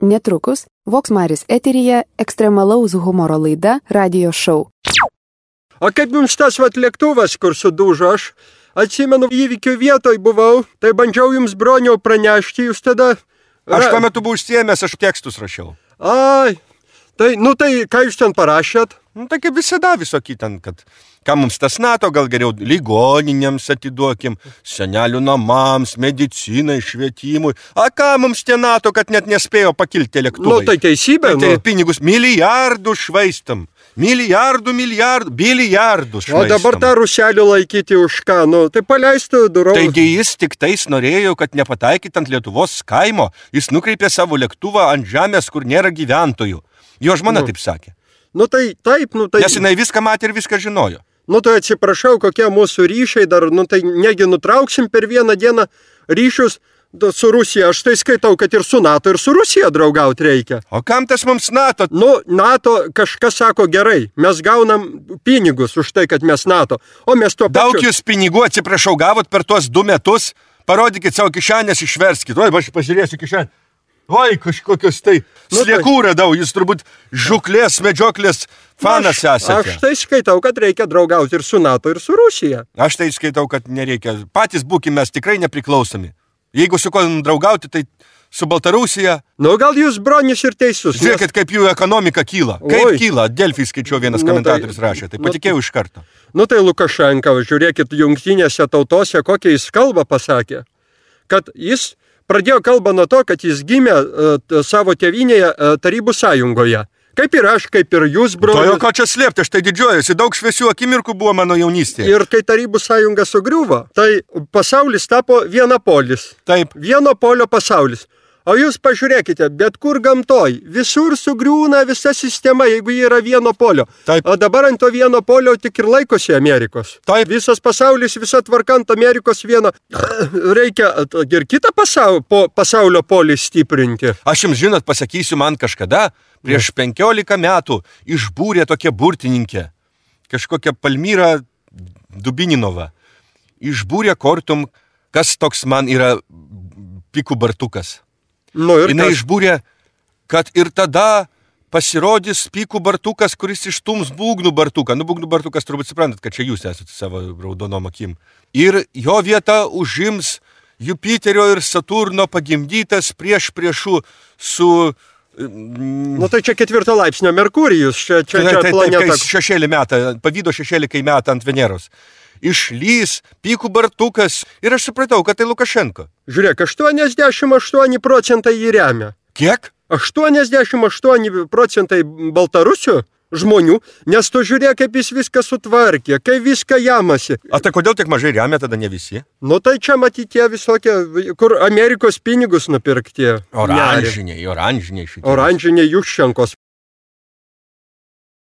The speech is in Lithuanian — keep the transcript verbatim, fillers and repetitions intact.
Netrukus Voksmaris eteryje ekstremalaus humoro laida Radio Show. O kaip jums tas vat lėktuvas, kur sudužo, aš atsimenu įvykių vietoj buvau, tai bandžiau jums broniau pranešti, jūs tada... Aš tuo metu buvau užsiėmęs, aš tekstus rašiau. Ai, tai, nu tai ką jūs ten parašėt? Nu, tai kaip visada visokį ten, kad ką mums tas NATO, gal geriau ligoninėms atiduokim, senelių namams, medicinai, švietimui. A ką mums tie NATO, kad net nespėjo pakilti lėktuvai? Nu, tai teisybė, tai, tai pinigus milijardų švaistam. Milijardų, milijardų, bilijardų švaistam. O dabar tą ruselį laikyti už ką, nu, tai paleistų durų. Taigi jis tik tais norėjo, kad nepataikyt ant Lietuvos kaimo, jis nukreipė savo lėktuvą ant žemės, kur nėra gyventojų. Jo žmona nu. taip sakė. Nu tai taip, nu tai... Nes jinai viską matė ir viską žinojo. Nu tai atsiprašau, kokie mūsų ryšiai dar, nu tai negi nutrauksim per vieną dieną ryšius su Rusija. Aš tai skaitau, kad ir su NATO, ir su Rusija draugauti reikia. O kam tas mums NATO? Nu, NATO kažkas sako gerai, mes gaunam pinigus už tai, kad mes NATO. O mes to Daug pačiu... jūs pinigų, atsiprašau, gavot per tuos du metus. Parodykit savo kišenės, išverskit. Oi, aš pažiūrėsiu kišenę. Oi, kažkokios tai nu, sliekų radau, jūs turbūt žuklės, medžioklės fanas aš, esate. Aš tai skaitau, kad reikia draugauti ir su NATO, ir su Rusija. Aš tai skaitau, kad nereikia. Patys būkime mes tikrai nepriklausomi. Jeigu su ko draugauti, tai su Baltarusija. Nu, gal jūs, Bronis, ir teisus. Žiūrėkit, nes... kaip jų ekonomika kyla. Kaip Oi. kyla. Delfį skaičiau, vienas nu, komentatorius tai, rašė. Tai patikėjau nu, iš karto. Nu, tai Lukašenka, žiūrėkit, jungtinėse tautose, kokią jis kalbą pasakė. Kad jis... Pradėjo kalbą nuo to, kad jis gimė uh, savo tėvynėje uh, Tarybų sąjungoje. Kaip ir aš, kaip ir jūs, brolis. To jau ko čia slėpti, aš tai didžiuojuosi. Daug šviesių akimirkų buvo mano jaunystėje. Ir kai Tarybų sąjunga sugriuvo, tai pasaulis tapo vienapolis. Taip. Vieno polio pasaulis. O jūs pažiūrėkite, bet kur gamtoj, visur sugriūna visa sistema, jeigu jie yra vieno polio. Taip. O dabar ant to vieno polio tik ir laikosi Amerikos. Taip. Visas pasaulis, visa tvarkant Amerikos vieno. Reikia ir kitą pasaulio, po, pasaulio polį stiprinti. Aš jums žinot, pasakysiu, man kažkada, prieš penkiolika metų, išbūrė tokia burtininkė, kažkokia Palmyra Dubininova. Išbūrė kortum, kas toks man yra pikų bartukas. Nu, Jinai kas... išbūrė, kad ir tada pasirodys pikų bartukas, kuris ištums būgnų bartuką. Nu, būgnų bartukas turbūt suprantat, kad čia jūs esate savo raudonom akim. Ir jo vietą užims Jupiterio ir Saturno pagimdytas prieš priešų su... Nu, tai čia ketvirto laipsnio Merkurijus, čia, čia, čia tai, planeta. Taip, kai šešėlį metą, pavydo šešėlį, kai metą ant Veneros. Išlys pikų bartukas ir aš supratau, kad tai Lukašenko. Žiūrėk, aštuoniasdešimt aštuoni procentai jį remia. Kiek? aštuoniasdešimt aštuoni procentai Baltarusių žmonių, nes tu žiūrėk, kaip jis viską sutvarkė, kaip viską jamasi. A tai kodėl tiek mažai remia, tada ne visi? Nu tai čia matyti visokie, kur Amerikos pinigus nupirkti. Oranžiniai, oranžiniai šitie. Oranžiniai Juščenkos.